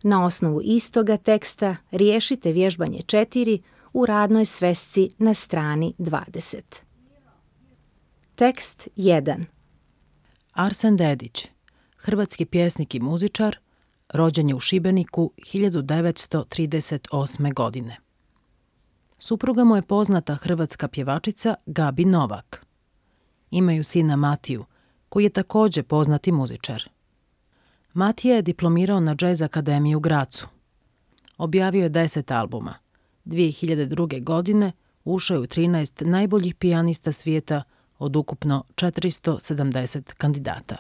Na osnovu istoga teksta riješite vježbanje 4 u radnoj svesci na strani 20. Tekst 1. Arsen Dedić, hrvatski pjesnik i muzičar, rođen je u Šibeniku 1938. godine. Supruga mu je poznata hrvatska pjevačica Gabi Novak. Imaju sina Matiju, koji je također poznati muzičar. Matija je diplomirao na Jazz Akademiji u Grazu. Objavio je 10 albuma. 2002. godine ušao je u 13 najboljih pijanista svijeta od ukupno 470 kandidata.